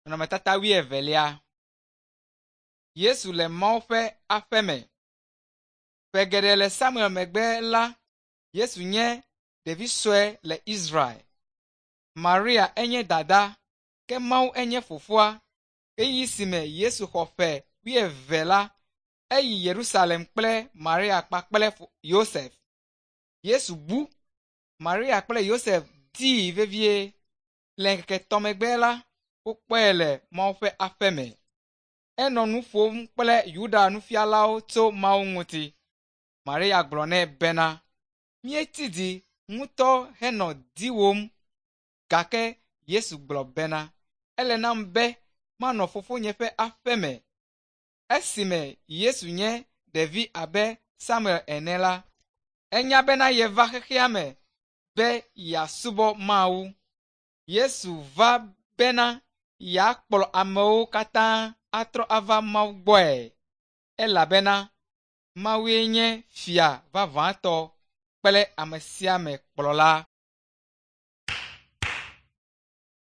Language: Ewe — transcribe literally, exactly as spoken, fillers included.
Nɔnɔmetata wuievelia. Yesu le Mawu ƒe aƒe me. Ƒe geɖe le Samuel megbe la, Yesu nye ɖevi sue le Israel. Maria enye dada, ke Mawu enye fofoa. Ɣeyiɣi si me Yesu xɔ ƒe wuieve la, eyi Yerusalem kple Maria kpakple Yosef. Yesu bu. Maria kple Yosef dii vevie. Le ŋkeke etɔ̃ megbe la, wokpɔe le Mawu ƒe aƒe me. Enɔ nu ƒom kple Yuda nufialawo tso Mawu ŋuti. Maria gblɔ nɛ bena, “Míetsi dzi ŋutɔ henɔ diwòm.” Gake Yesu gblɔ bena, “Ele nam be manɔ Fofonye ƒe aƒe me.” Esime Yesu nye ɖevi abe Samuel ene la, enya bena yeva xexea me be yeasubɔ Mawu. Yesu va bena yeakplɔ amewo katã atrɔ ava Mawu gbɔe elabena Mawue nye fia vavãtɔ kple ame sia ame kplɔla.